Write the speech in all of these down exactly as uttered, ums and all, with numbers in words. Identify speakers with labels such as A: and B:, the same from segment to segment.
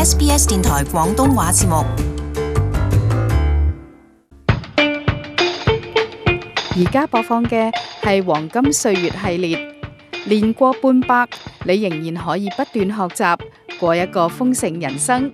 A: S B S 電台廣東話節目。
B: 而家播放嘅係黃金歲月系列，年過半百，你仍然可以不斷學習，過一個豐盛人生。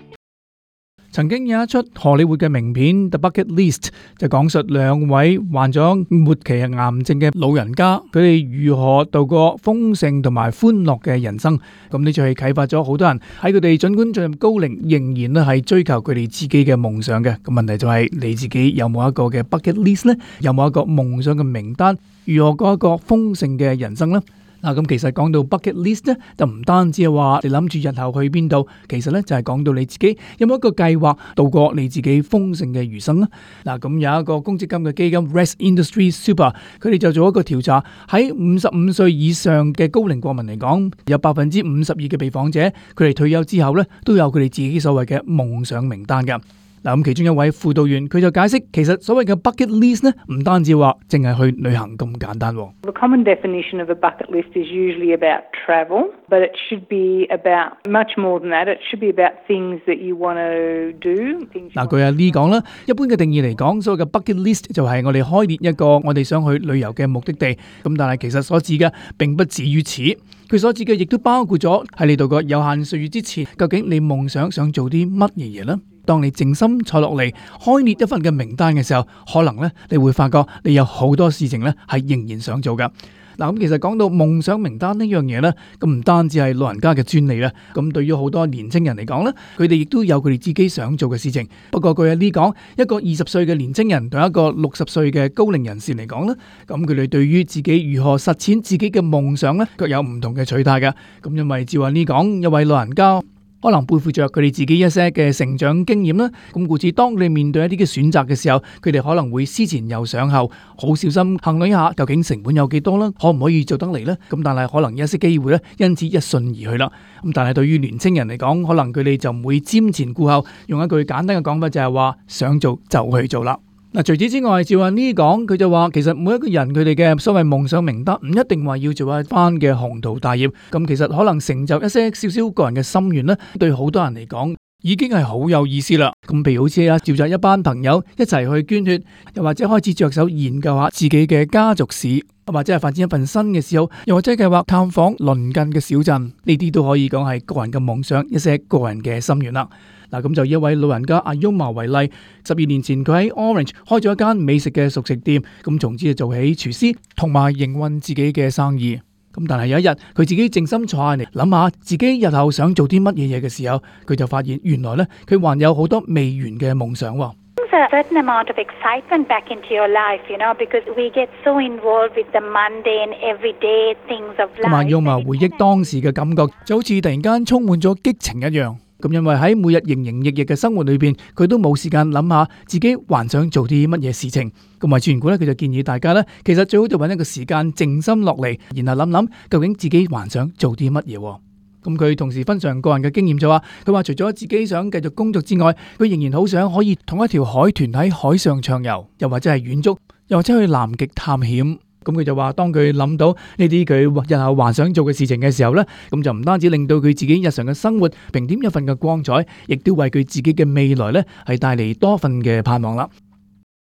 C: 曾經有一出荷里活嘅名片《The Bucket List》，就講述兩位患咗末期癌症嘅老人家，佢哋如何度過豐盛同埋歡樂嘅人生。咁呢就係啟發咗好多人喺佢哋盡管進入高齡，仍然咧係追求佢哋自己嘅夢想嘅。咁問題就係你自己有冇一個嘅 bucket list 呢？有冇一個夢想嘅名單？如何過一個豐盛嘅人生呢？嗱，咁其實講到 bucket list 咧，就唔單止係話你諗住日後去邊度，其實咧就係講到你自己有冇一個計劃度過你自己豐盛嘅餘生啦。嗱，咁有一個公積金嘅基金 Rest Industry Super， 佢哋就做一個調查，喺五十五歲以上嘅高齡國民嚟講，有百分之五十二嘅被訪者，佢哋退休之後咧都有佢哋自己所謂嘅夢想名單㗎。嗱，咁其中一位輔導員佢就解釋，其實所謂嘅 bucket list 呢，唔單止話淨係去旅行咁簡單。
D: The common definition of a bucket list is usually about travel, but it should be about much more than that. It should be about things that you want to do.
C: 嗱，據阿 Lee 講啦，一般嘅定義嚟講，所謂嘅 bucket list 就係我哋開列一個我哋想去旅遊嘅目的地。咁但係其實所指嘅並不止於此，佢所指嘅亦都包括咗喺你度個有限歲月之前，究竟你夢想想做啲乜嘢嘢呢？當你靜心坐落嚟開列一份嘅名單嘅時候，可能咧你會發覺你有好多事情咧係仍然想做噶。嗱，咁其實講到夢想名單呢樣嘢咧，咁唔單止係老人家嘅專利啦，咁對於好多年青人嚟講咧，佢哋亦都有佢哋自己想做嘅事情。不過據阿 Lee講，一個二十歲嘅年青人同一個六十歲嘅高齡人士嚟講咧，咁佢哋對於自己如何實踐自己嘅夢想咧，各有唔同嘅取態嘅。咁因為照阿 Lee講，一位老人家可能背負着佢哋自己一些嘅成長經驗啦，咁故此當你面對一啲嘅選擇嘅時候，佢哋可能會思前又想後，好小心衡量一下究竟成本有幾多啦，可唔可以做得嚟呢？咁但係可能一些機會咧，因此一順而去啦。咁但係對於年青人嚟講，可能佢哋就唔會瞻前顧後，用一句簡單嘅講法就係話想做就去做啦。嗱，除此之外，照阿 Lee 講，佢就話其實每一個人佢哋嘅所謂夢想名單唔一定話要做一番嘅宏圖大業，咁其實可能成就一些少少個人嘅心願咧，對好多人嚟講已經係好有意思啦。咁譬如好似啊召集一班朋友一齊去捐血，又或者開始着手研究下自己嘅家族史，或者係發展一份新嘅嗜好，又或者計劃探訪鄰近嘅小鎮，呢啲都可以講係個人嘅夢想，一些個人嘅心願啦。嗱，咁就以一位老人家阿 Yoma 為例，十二年前佢喺 Orange 開咗一間美食嘅熟食店，咁從此就做起廚師同埋營運自己嘅生意。咁但係有一日佢自己靜心坐下嚟諗下自己日後想做啲乜嘢嘢嘅時候，佢就發現原來咧佢還有好多未完嘅夢想。
E: A certain amount of excitement back into your life, you know, because we get so involved with the mundane, everyday things of life.
C: 咁阿 Yoma 回憶當時嘅感覺，就好似突然間充滿咗激情一樣。咁因為喺每日營營役役嘅生活裏邊，佢都冇時間諗下自己還想做啲乜嘢事情。咁為全股咧，佢就建議大家咧，其實最好就揾一個時間靜心落嚟，然後諗諗究竟自己還想做啲乜嘢。咁佢同時分享個人嘅經驗就話，佢話除咗自己想繼續工作之外，佢仍然好想可以同一條海豚喺海上暢遊，又或者係遠足，又或者去南極探險。咁佢就話，當佢諗到呢啲佢日後還想做嘅事情嘅時候呢，咁就唔單止令到佢自己日常嘅生活平添一份嘅光彩，亦都為佢自己嘅未來呢係帶嚟多份嘅盼望啦。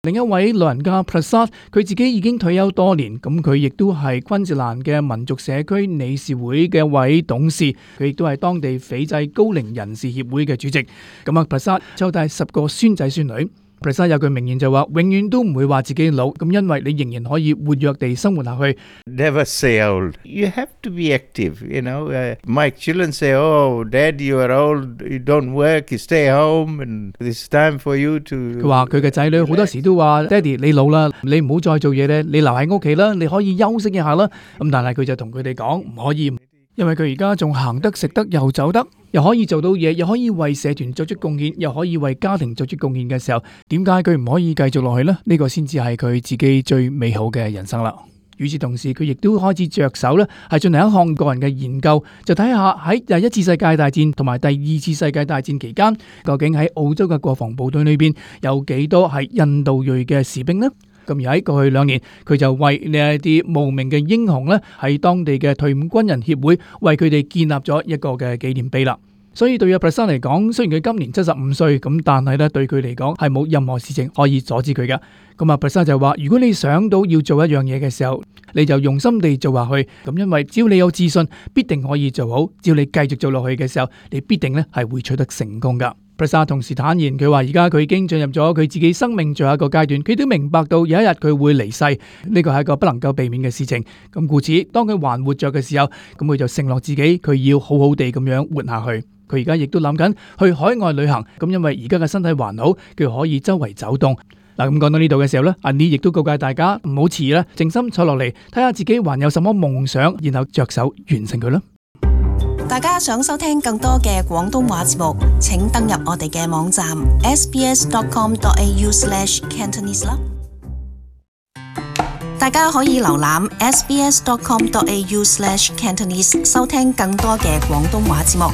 C: 另一位老人家 Prasad， 佢自己已經退休多年，咁佢亦都係昆士蘭嘅民族社區理事會嘅一位董事，佢亦都係當地斐濟高齡人士協會嘅主席。咁啊 Prasad 湊大十個孫仔孫女。Prasad 有句名言就話，永遠都唔會話自己老，咁因為你仍然可以活躍地生活下去。
F: Never say old. You have to be active, you know. Uh, my children say, oh, Dad, you are old, you don't work, you stay home, and it's time for you to...
C: 佢話佢嘅仔女好多時都話，爹哋你老啦，你唔好再做嘢咧，你留喺屋企啦，你可以休息一下啦。咁但係佢就同佢哋講唔可以，因為佢而家仲行得食得又走得，又可以做到嘢，又可以為社團作出貢獻，又可以為家庭作出貢獻嘅時候，點解佢唔可以繼續落去呢？呢個先至係佢自己最美好嘅人生啦。與此同時，佢亦都開始着手咧，係進行一項個人嘅研究，就睇下喺第一次世界大戰同埋第二次世界大戰期間，究竟喺澳洲嘅國防部隊裏邊有幾多係印度裔嘅士兵呢？咁而喺過去兩年，佢就為呢一啲無名嘅英雄咧，喺當地嘅退伍軍人協會為佢哋建立咗一個嘅紀念碑啦。所以對阿 Prasa 嚟講，雖然佢今年七十五歲，咁但係咧對佢嚟講係冇任何事情可以阻止佢嘅。咁阿 Prasa 就話：如果你想到要做一樣嘢嘅時候，你就用心地做下去。咁因為只要你有自信，必定可以做好。只要你繼續做落去嘅時候，你必定咧係會取得成功噶。Prasa 同時坦言，佢話而家佢已經進入咗佢自己生命最後一個階段，佢都明白到有一日佢會離世，呢個係一個不能夠避免嘅事情。咁故此，當佢還活着嘅時候，咁佢就承諾自己，佢要好好地咁樣活下去。佢而家亦都諗緊去海外旅行，咁因為而家嘅身體還好，佢可以周圍走動。嗱，咁講到呢度嘅時候呢，阿 Ni 亦都告誡大家唔好遲啦，靜心坐落嚟睇下自己還有什麼夢想，然後着手完成佢啦。
A: 大家想收聽更多嘅廣東話節目，請登入我哋嘅網站 s b s dot com dot a u slash cantonese 啦。大家可以瀏覽 s b s dot com dot a u slash cantonese 收聽更多嘅廣東話節目。